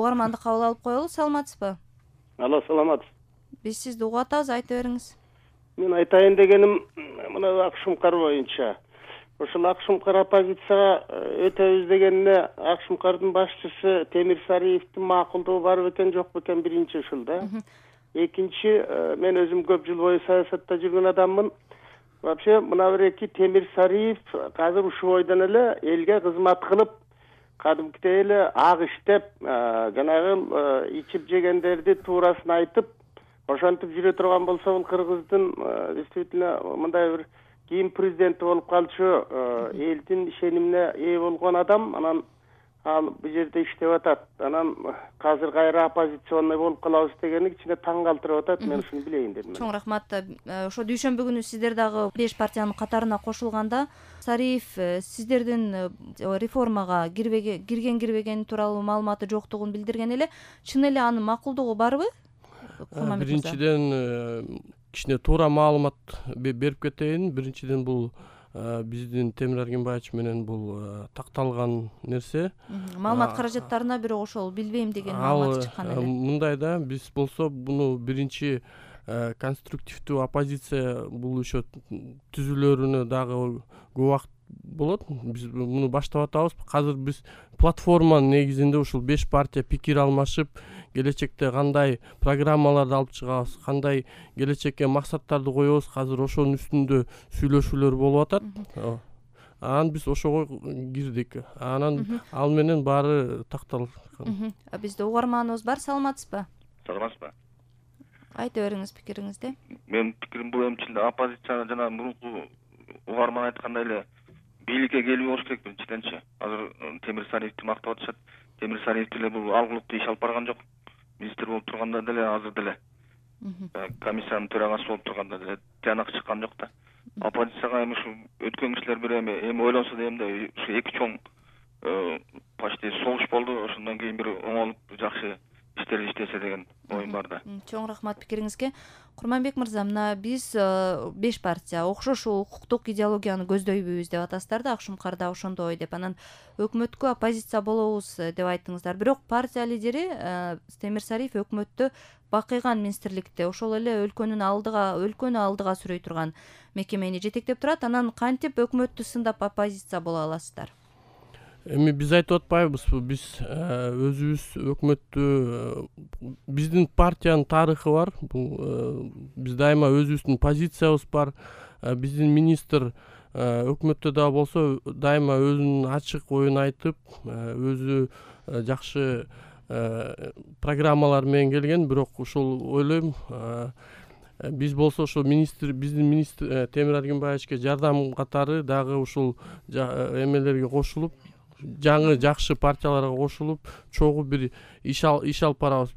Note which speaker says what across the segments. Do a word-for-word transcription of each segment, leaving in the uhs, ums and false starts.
Speaker 1: угарманды кабыл алып коелу. Саламатсызбы?
Speaker 2: Алло, саламатсыз.
Speaker 1: Биз сизди угуп атабыз, айта бериңиз.
Speaker 2: Мен айтайын дегеним мына Акшумкар боюнча. Ошол Акшумкар оппозицияга өтөбүз дегенине Акшумкардын башчысы Темир Сариевдин макулдугу бар бекен, жок бекен, биринчи ушул да. Экинчи, мен өзүм көп жыл бою саясатта жүргөн адаммын. Вообще мына бир эки Темир Сариев азыр ушул бойдон эле элге кызмат кылып, кадимкидей эле ак иштеп, жанагы ичип жегендерди туурасын айтып, ошентип жүрө турган болсо, бул Кыргыздын действительно мындай бир кийин президенти болуп калчу, элдин ишенимине ээ болгон адам, анан ал бул жерде иштеп атат. Анан азыр кайра оппозиционный болуп калабыз дегени кичине таң калтырып атат. Мен ушуну билейин дедим.
Speaker 1: Чоң рахмат. Ошо дүйшөмбү күнү сиздер дагы беш партиянын катарына кошулганда Сариев сиздердин реформага кирген кирбегени тууралуу маалыматы жоктугун билдирген эле. Чын эле анын макулдугу барбы?
Speaker 3: Биринчиден кичине туура маалымат берип кетейин. Биринчиден бул биздин Темир Аргенбаевич менен бул такталган нерсе.
Speaker 1: Маалымат каражаттарына бирок ошол билбейм деген маалымат чыккан эле.
Speaker 3: Мындай да, биз болсо буну биринчи конструктивдүү оппозиция бул еще түзүлөрүнө дагы көп убакыт болот. Биз муну баштап атабыз. Азыр биз платформанын негизинде ушул беш партия пикир алмашып, келечекте кандай программаларды алып чыгабыз, кандай келечекке максаттарды коебуз, азыр ошонун үстүндө сүйлөшүүлөр болуп атат. Анан биз ошого кирдик. Анан ал менен баары такталган.
Speaker 1: Бизде угарманыбыз бар. Саламатсызбы?
Speaker 4: Саламатсызбы?
Speaker 1: Айта бериңиз пикириңизди.
Speaker 4: Менин пикирим бул эмчилде оппозиция жана мурунку угарман айткандай эле бийликке келбей болуш керек биринчиденчи. Азыр Темир Сариевди мактап атышат. Темир Сариев деле бул алгылыктуу иш алып барган жок. Министр болуп турганда деле, азыр деле комиссиянын төрагасы болуп турганда деле тыянак чыккан жок да. Оппозицияга эми ушу өткөн кишилер бир эми эми ойлонсо дейм да, ушу эки чоң почти согуш болду. Ошондон кийин бир оңолуп жакшы иштер иштесе деген оюм бар да.
Speaker 1: Чоң рахмат пикириңизге. Курманбек мырза, мына биз беш партия окшош укуктук идеологияны көздөйбүз деп атасыздар да, Акшумкарда ошондой деп. Анан өкмөткө оппозиция болобуз деп айттыңыздар. Бирок партия лидери Темир Сариев өкмөттө бакыйган министрликте ошол эле өлкөнүн алдыга, өлкөнү алдыга сүрөй турган мекемени жетектеп турат. Анан кантип өкмөттү сындап оппозиция боло аласыздар?
Speaker 3: Эми биз айтып атпайбызбы, биз өзүбүз өкмөттү, биздин партиянын тарыхы бар. Бул биз дайыма өзүбүздүн позициябыз бар. Биздин министр өкмөттө да болсо дайыма өзүнүн ачык оюн айтып, өзү жакшы программалар менен келген. Бирок ушул ойлойм, биз болсо ошо министр, биздин министр Темир Аргенбаевичке жардам катары дагы ушул эмелерге кошулуп, жаңы жакшы партияларга кошулуп, чогуу бир иш алып барабыз.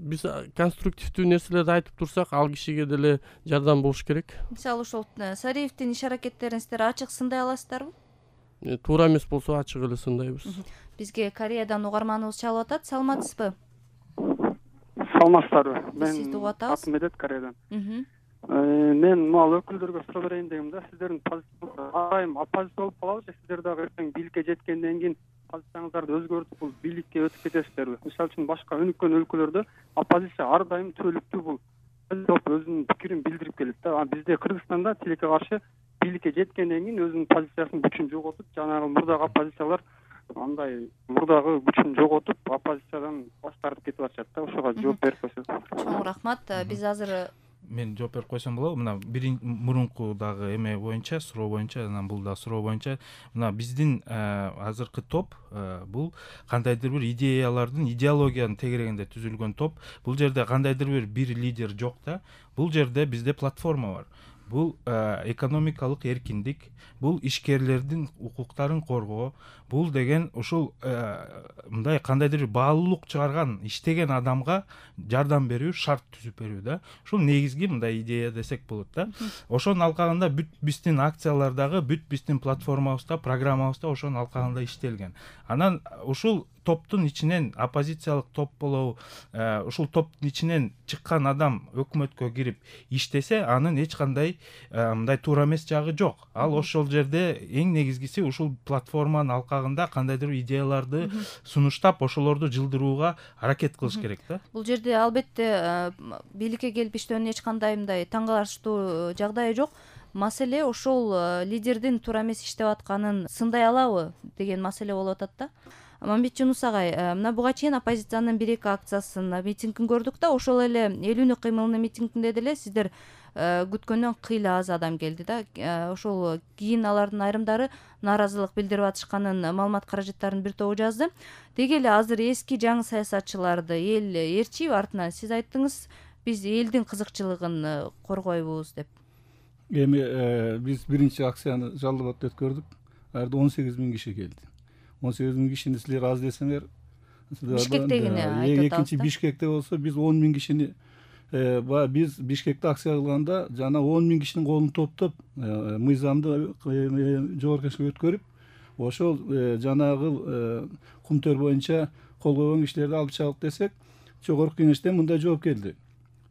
Speaker 3: Биз конструктивдүү нерселерди айтып турсак, ал кишиге деле жардам болуш керек.
Speaker 1: Мисалы ошол Сариевдин иш аракеттерин сиздер ачык сындай аласыздарбы?
Speaker 3: Туура эмес болсо ачык эле сындайбыз.
Speaker 1: Бизге Кореядан угарманыбыз чалып атат. Саламатсызбы?
Speaker 5: Саламатсыздарбы? Мен
Speaker 1: сизди угуп атабыз.
Speaker 5: Атмедет Кореядан. Мен мал өкүлдөргө суроо берейин дегем да. Сиздердин позицияңыз айым оппозиция болуп калабы же сиздер дагы эртең бийликке жеткенден кийин позицияңыздарды өзгөртүп бул бийликке өтүп кетесиздерби? Мисалы үчүн башка өнүккөн өлкөлөрдө оппозиция ар дайым түбөлүктүү бул өзүнүн пикирин билдирип келет да. А бизде Кыргызстанда тилекке каршы бийликке жеткенден кийин өзүнүн позициясынын күчүн жоготуп, жанагы мурдагы оппозициялар андай мурдагы күчүн жоготуп, оппозициядан баш тартып кетип атышат да. Ошого жооп берип койсоңуз.
Speaker 1: Чоң рахмат. Биз азыр
Speaker 6: мен жооп берип койсом болобу? Мына бирин мурунку дагы эме боюнча, суроо боюнча, анан бул да суроо боюнча, мына биздин азыркы топ бул кандайдыр бир идеялардын, идеологиянын тегерегинде түзүлгөн топ. Бул жерде кандайдыр бир бир лидер жок да. Бул жерде бизде платформа бар. Бул экономикалык эркиндик, бул ишкерлердин укуктарын коргоо, бул деген ушул мындай кандайдыр баалуулук чыгарган, иштеген адамга жардам берүү, шарт түзүп берүү да. Ушул негизги мындай идея десек болот да. Ошонун алкагында бүт биздин акциялардагы, бүт биздин платформабызда, программабызда ошонун алкагында иштелген. Анан ушул топтун ичинен оппозициялык топ болобу, ушул топтун ичинен чыккан адам өкмөткө кирип иштесе, анын эч кандай мындай туура эмес жагы жок. Ал ошол жерде эң негизгиси ушул платформанын алкагында абагында кандайдыр бир идеяларды сунуштап ошолорду жылдырууга аракет кылыш керек да.
Speaker 1: Бул жерде албетте бийликке келип иштөөнүн эч кандай мындай таң калыштуу жагдайы жок. Маселе ошол лидердин туура эмес иштеп атканын сындай алабы деген маселе болуп атат да. Мамбет Жунус агай, мына буга чейин оппозициянын бир эки акциясын, митингин көрдүк да, ошол эле эл үнү кыймылынын митингинде деле сиздер күткөндөн кыйла аз адам келди да. Ошол кийин алардын айрымдары нааразылык билдирип атышканын маалымат каражаттарынын бир тобу жазды. Деги эле азыр эски жаңы саясатчыларды эл ээрчийби артынан? Сиз айттыңыз, биз элдин кызыкчылыгын коргойбуз деп.
Speaker 7: Эми биз биринчи акцияны Жалал абадда өткөрдүк. Ал жерде он сегиз миң киши келди. он сегиз миң кишини силер аз десеңер,
Speaker 1: Бишкектегини айтып атабыз.
Speaker 7: Экинчи Бишкекте болсо биз он миң кишини биз Бишкекте акция кылганда жана он миң кишинин колун топтоп мыйзамды жогорку кеңешке өткөрүп, ошол жанагы кумтөр боюнча кол койгон кишилерди алып чыгык десек, жогорку кеңештен мындай жооп келди.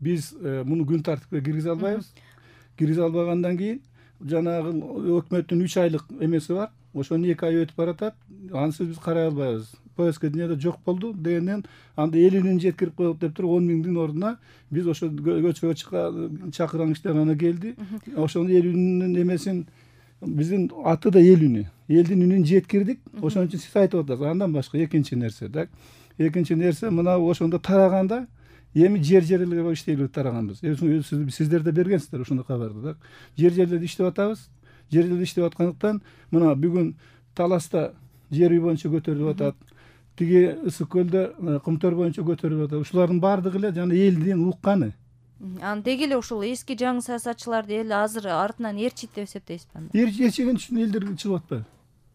Speaker 7: Биз муну күн тартипке киргизе албайбыз. Киргизе албагандан кийин жанагы өкмөттүн үч айлык эмеси бар. Ошону эки ай өтүп баратат. Ансыз биз карай албайбыз. Повестка дүйнөдө жок болду дегенден анда элүүнүн жеткирип коелук деп туруп он миңдин ордуна биз ошо көчөгө чакырган кишилер гана келди. Ошонун элүүнүн эмесин биздин аты да эл үнү. Элдин үнүн жеткирдик. Ошон үчүн сиз айтып атасыз. Андан башка экинчи нерсе да. Экинчи нерсе мына ошондо тараганда эми жер жерлерге иштейлип тараганбыз. Сиздер да бергенсиздер ошондой кабарды да. Жер жерлерде иштеп атабыз. Жер жерлерде иштеп аткандыктан мына бүгүн Таласта жер үй боюнча көтөрүлүп атат. Тиги Ысык көлдө кумтөр боюнча көтөрүлүп атат. Ушулардын баардыгы эле жана элдин укканы.
Speaker 1: Анан деги эле ушул эски жаңы саясатчыларды эл азыр артынан ээрчийт деп эсептейсизби?
Speaker 7: Ээрчиген үчүн элдер чыгып атпайбы?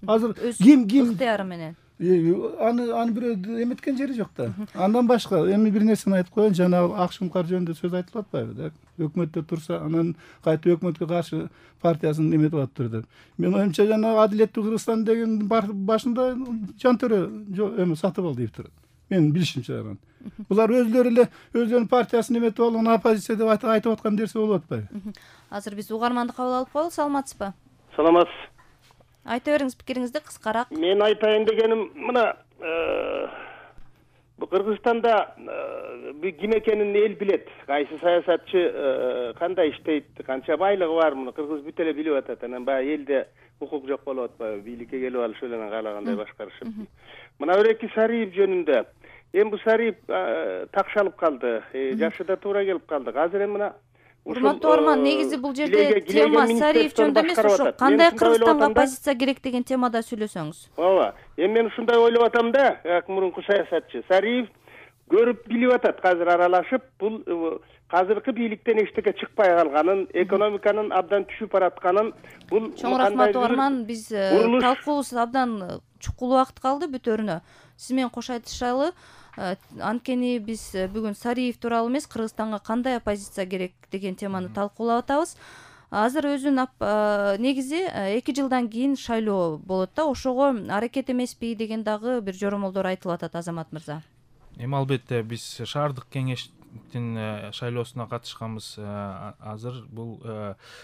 Speaker 7: Азыр ким ким
Speaker 1: ыктыяры менен
Speaker 7: аны аны бирөө эметкен жери жок да. Андан башка эми бир нерсени айтып коеюн, жана Акшумкар жөнүндө сөз айтылып атпайбы да. Өкмөттө турса, анан кайта өкмөткө каршы партиясын эметип атыптыр деп. Мен оюмча жана Адилеттүү Кыргызстан деген башында Жантөрө эми сатып алды деп турат. Менин билишимче анан. Булар өзлөрү эле өздөрүнүн партиясын эметип алган оппозиция деп айтып аткан нерсе болуп атпайбы?
Speaker 1: Азыр биз угарманды кабыл алып коелук. Саламатсызбы?
Speaker 2: Саламатсыз.
Speaker 1: Айта бериңиз пикириңизди кыскараак.
Speaker 2: Мен айтайын дегеним мына бу Кыргызстанда ким экенин эл билет. Кайсы саясатчы кандай иштейт, канча байлыгы бар, муну кыргыз бүт эле билип атат. Анан баягы элде укук жок болуп атпайбы? Бийликке келип алыш эле каалагандай башкарышып. Мына Өреки Сариев жөнүндө. Эми бу Сариев такшалып калды. Жашы да туура келип калды. Азыр эми мына
Speaker 1: Урматтуу Орман, негизи бул жерде тема Сариев жөнүндө эмес, ошо кандай Кыргызстанга оппозиция керек деген темада сүйлөсөңүз.
Speaker 2: Ооба. Эми мен ушундай ойлоп атам да, как мурунку саясатчы Сариев көрүп билип атат, азыр аралашып, бул азыркы бийликтен эчтеке чыкпай калганын, экономиканын абдан түшүп баратканын, бул
Speaker 1: Чоң рахмат Орман, биз талкуубуз абдан чукул убакыт калды бүтөрүнө. Сиз менен кош айтышалы. Анткени биз бүгүн Сариев тууралуу эмес, Кыргызстанга кандай оппозиция керек деген теманы талкуулап атабыз. Азыр өзүнүн негизи эки жылдан кийин шайлоо болот да, ошого аракет эмеспи деген дагы бир жоромолдор айтылып атат, Азамат мырза.
Speaker 6: Эми албетте биз шаардык кеңештин шайлоосуна катышканбыз. Азыр бул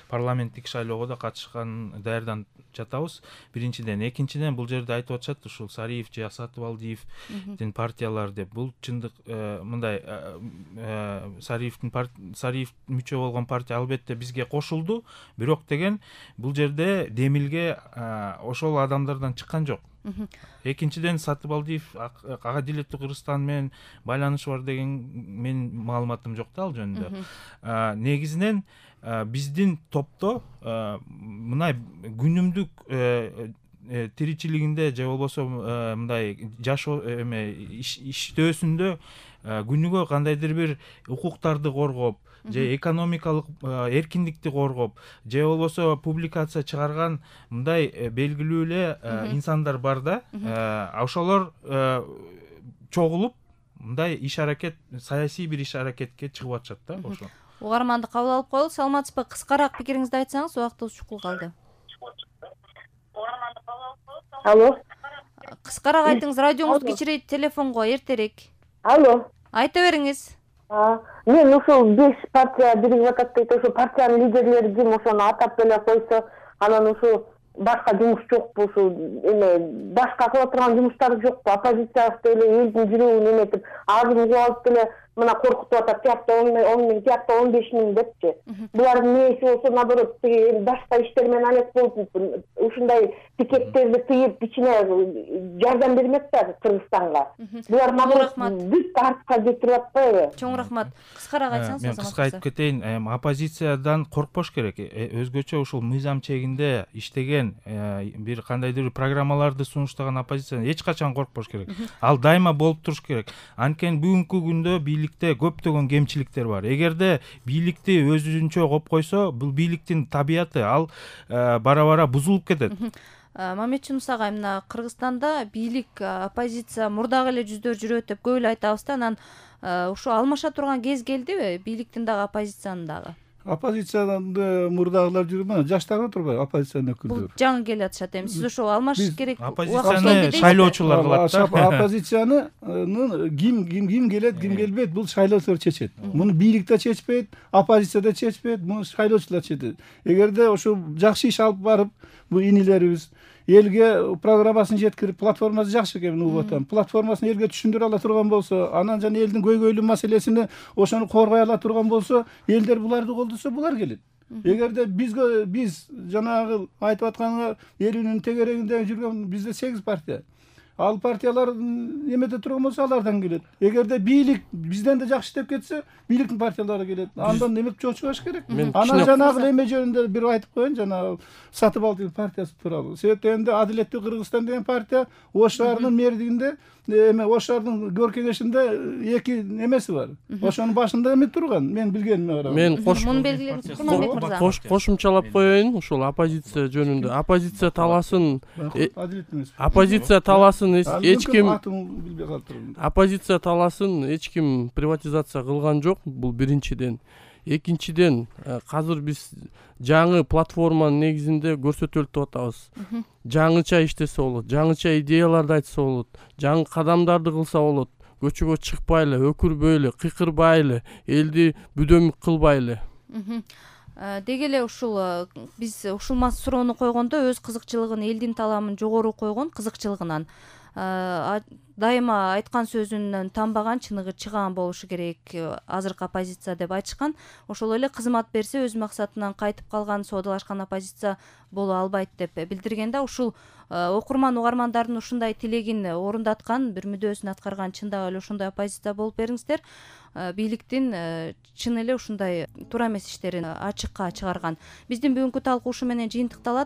Speaker 6: парламенттик шайлоого да катышкан даярданып жатабыз. Биринчиден, экинчиден бул жерде айтып атышат, ушул Сариев же Сатыбалдиевдин партиялары деп. Бул чындык мындай Сариевдин Сариев мүчө болгон партия албетте бизге кошулду, бирок деген бул жерде демилге ошол адамдардан чыккан жок. Экинчиден, Сатыбалдиев Адилеттүү Кыргызстан менен байланышы бар деген менин маалыматым жок да ал жөнүндө. Негизинен биздин топто мына күнүмдүк тиричилигинде же болбосо мындай жашоо эме иштөөсүндө күнүгө кандайдыр бир укуктарды коргоп же экономикалык эркиндикти коргоп же болбосо публикация чыгарган мындай белгилүү эле инсандар бар да. Ошолор чогулуп мындай иш аракет, саясий бир иш аракетке чыгып атышат да ошо.
Speaker 1: Угарманды кабыл алып коелук. Саламатсызбы? Кыскараак пикириңизди айтсаңыз, убактыбыз чукул калды.
Speaker 8: Алло.
Speaker 1: Кыскараак айтыңыз, радионуз кичирейт, телефонго эртерээк.
Speaker 8: Алло.
Speaker 1: Айта бериңиз.
Speaker 8: Мен ушул беш партия биригип атат дейт, ошо партиянын лидерлери ким, ошону атап эле койсо, анан ушул башка жумуш жокпу, ушул эме башка кыла турган жумуштары жокпу, оппозиция эле элдин жүрөгүн эметип азыр угуп алып деле мына коркутуп атат, тиякта он миң, тиякта он беш миң депчи. Булардын нээси болсо наоборот тиги башка иштер менен алек болуп ушундай пикеттерди тыйып ичине жардам бермек да Кыргызстанга. Булар наоборот бүт артка кетирип атпайбы?
Speaker 1: Чоң рахмат. Кыскараак айтсаңыз.
Speaker 6: Мен кыска айтып кетейин, оппозициядан коркпош керек. Өзгөчө ушул мыйзам чегинде иштеген бир кандайдыр бир программаларды сунуштаган оппозициядан эч качан коркпош керек. Ал дайыма болуп туруш керек. Анткени бүгүнкү күндө бийликте көптөгөн кемчиликтер бар. Эгерде бийликти өзүнчө коп койсо, бул бийликтин табияты ал бара-бара бузулуп кетет.
Speaker 1: Мамедчунус агай, мына Кыргызстанда бийлик, оппозиция мурдагы эле жүздөр жүрөт деп көп эле айтабыз да, анан ушу алмаша турган кез келдиби бийликтин дагы, оппозициянын дагы?
Speaker 7: Оппозициядан мурдагылар жүрүп, мына жаштар отурбайбы, оппозициянын өкүлдөрү.
Speaker 1: Бул жаңы келип атышат эми. Сиз ошо алмашыш керек.
Speaker 6: Оппозицияны шайлоочулар кылат да.
Speaker 7: Оппозицияны ким ким ким келет, ким келбейт, бул шайлоочулар чечет. Муну бийлик да чечпейт, оппозиция да чечпейт, муну шайлоочулар чечет. Эгерде ошо жакшы иш алып барып, бул инилерибиз элге программасын жеткирип, платформасы жакшы экен угуп атам. Платформасын элге түшүндүрө ала турган болсо, анан жана элдин көйгөйлүү маселесини ошону коргой ала турган болсо, элдер буларды колдосо, булар келет. Эгерде бизге биз жанагы айтып атканга эл үнүнүн тегерегинде жүргөн бизде сегиз партия. Ал партиялар эмете турган болсо, алардан келет. Эгерде бийлик бизден да жакшы иштеп кетсе, бийликтин партиялары келет. Андан эмек чочубаш керек. Анан жанагы эме жөнүндө бир айтып коеюн, жанагы Сатып алды партиясы тууралуу. Себептен энди Адилеттүү Кыргызстан деген партия Ош шаарынын мэрдигинде эме Ош шаарынын өр кеңешинде эки эмеси бар. Ошонун башында эме турган, мен билгениме караганда.
Speaker 3: Мен кош
Speaker 1: Муну белгилеңиз, Курманбек мырза.
Speaker 3: Кошумчалап коеюн, ушул оппозиция жөнүндө. Оппозиция таласын оппозиция таласын эч ким оппозиция таласын эч ким приватизация кылган жок. Бул биринчиден. Экинчиден, азыр биз жаңы платформанын негизинде көрсөтөлүп атабыз. Жаңыча иштесе болот, жаңыча идеяларды айтса болот, жаңы кадамдарды кылса болот. Көчөгө чыкпайлы, өкүрбөйлү, кыйкырбайлы, элди бүдөмүк кылбайлы.
Speaker 1: Деги эле ушул биз ушул суроону койгондо өз кызыкчылыгын, элдин таламын жогору койгон кызыкчылыгынан дайыма айткан сөзүнөн танбаган, чыныгы чыган болушу керек азыркы оппозиция деп айтышкан. Ошол эле кызмат берсе өз максатынан кайтып калган, соодалашкан оппозиция боло албайт деп билдирген да. Ушул окурман угармандардын ушундай тилегин орундаткан, бир мүдөөсүн аткарган чындап эле ошондой оппозиция болуп бериңиздер. Бийликтин чын эле ушундай туура эмес иштерин ачыкка чыгарган. Биздин бүгүнкү талкуу ушу менен жыйынтыкталат.